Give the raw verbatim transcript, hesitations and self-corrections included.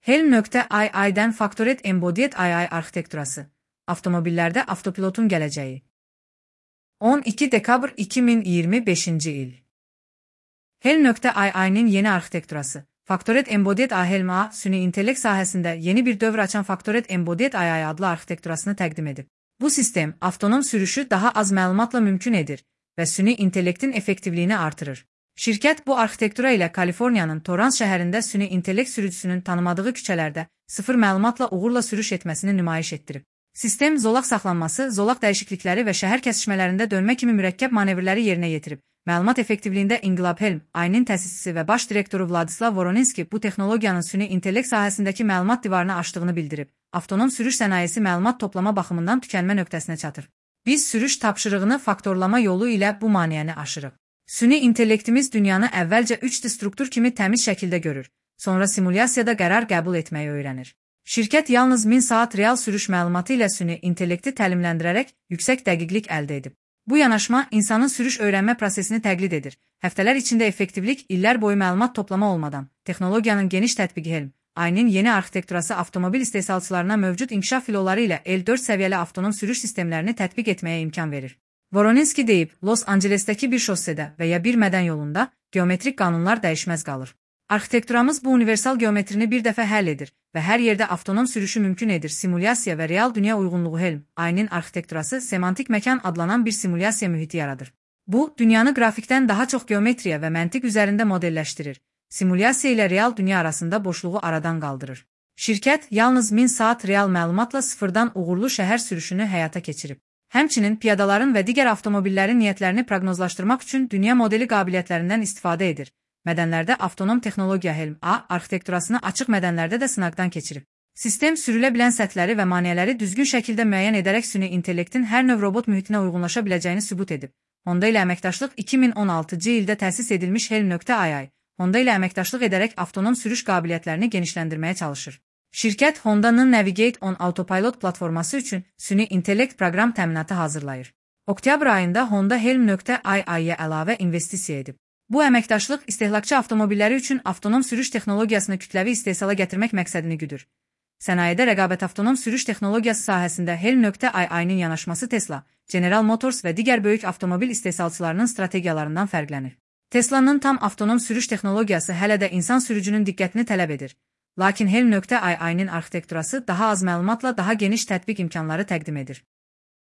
Helm.ai-dən Factored Embodied A I arxitekturası. Avtomobillərdə avtopilotun gələcəyi. on iki dekabr iki min iyirmi beşinci il. Helm.ai-nin yeni arxitekturası. Factored Embodied A I Helm.A, süni intellekt sahəsində yeni bir dövr açan Factored Embodied A I adlı arxitekturasını təqdim edib. Bu sistem, avtonom sürüşü daha az məlumatla mümkün edir və süni intellektin effektivliyini artırır. Şirkət bu arxitektura ilə Kaliforniyanın Torrance şəhərində süni intellekt sürücüsünün tanımadığı küçələrdə sıfır məlumatla uğurla sürüş etməsini nümayiş etdirib. Sistem zolaq saxlanması, zolaq dəyişiklikləri və şəhər kəsişmələrində dönmə kimi mürəkkəb manevrləri yerinə yetirib. Məlumat effektivliyində İnqilab Helm.ai-nin təsisçisi və baş direktoru Vladislav Voronenski bu texnologiyanın süni intellekt sahəsindəki məlumat divarını aşdığını bildirib. Avtonom sürüş sənayesi məlumat toplama baxımından tükənmə nöqtəsinə çatır. Biz sürüş tapşırığını faktorlama yolu ilə bu maneəni aşırıq. Süni intellektimiz dünyanı əvvəlcə üç D struktur kimi təmiz şəkildə görür, sonra simulyasiyada qərar qəbul etməyi öyrənir. Şirkət yalnız min saat real sürüş məlumatı ilə süni intellekti təlimləndirərək yüksək dəqiqlik əldə edib. Bu yanaşma insanın sürüş öyrənmə prosesini təqlid edir. Həftələr içində effektivlik, illər boyu məlumat toplama olmadan. Texnologiyanın geniş tətbiqi Helm.ai-nin yeni arxitekturası avtomobil istehsalçılarına mövcud inkişaf filoları ilə L dörd səviyyəli avtonom sürüş sistemlərini tətbiq etməyə imkan verir. Voronenski deyib, Los Ancelesdəki bir şossedə və ya bir mədən yolunda geometrik qanunlar dəyişməz qalır. Arxitekturamız bu universal geometrini bir dəfə həll edir və hər yerdə avtonom sürüşü mümkün edir. Simulyasiya və real dünya uyğunluğu Helm.ai-nin arxitekturası semantik məkan adlanan bir simulyasiya mühiti yaradır. Bu, dünyanı qrafikdən daha çox geometriya və məntiq üzərində modelləşdirir. Simulyasiya ilə real dünya arasında boşluğu aradan qaldırır. Şirkət yalnız min saat real məlumatla sıfırdan uğurlu şəhər sürüşünü həyata keçirib. Həmçinin piyadaların və digər avtomobillərin niyyətlərini proqnozlaşdırmaq üçün dünya modeli qabiliyyətlərindən istifadə edir. Mədənlərdə avtonom texnologiya Helm.a arxitekturasını açıq mədənlərdə də sınaqdan keçirib. Sistem sürülə bilən səthləri və maneələri düzgün şəkildə müəyyən edərək süni intellektin hər növ robot mühitinə uyğunlaşa biləcəyini sübut edib. Honda ilə əməkdaşlıq iki min on altıncı ildə təsis edilmiş Helm.ai, Honda ilə əməkdaşlıq edərək avtonom sürüş qabiliyyətlərini genişləndirməyə çalışır. Şirkət Honda'nın Navigate on Autopilot platforması üçün süni intellekt proqram təminatı hazırlayır. Oktyabr ayında Honda Helm.ai-yə əlavə investisiya edib. Bu əməkdaşlıq istehlakçı avtomobilləri üçün avtonom sürüş texnologiyasını kütləvi istehsala gətirmək məqsədini güdür. Sənayedə rəqabət avtonom sürüş texnologiyası sahəsində Helm.ai-nin yanaşması Tesla, General Motors və digər böyük avtomobil istehsalçılarının strategiyalarından fərqlənir. Tesla'nın tam avtonom sürüş texnologiyası hələ də insan sürücünün diqqətini tələb edir. Lakin Helm.ai-nin arxitekturası daha az məlumatla daha geniş tətbiq imkanları təqdim edir.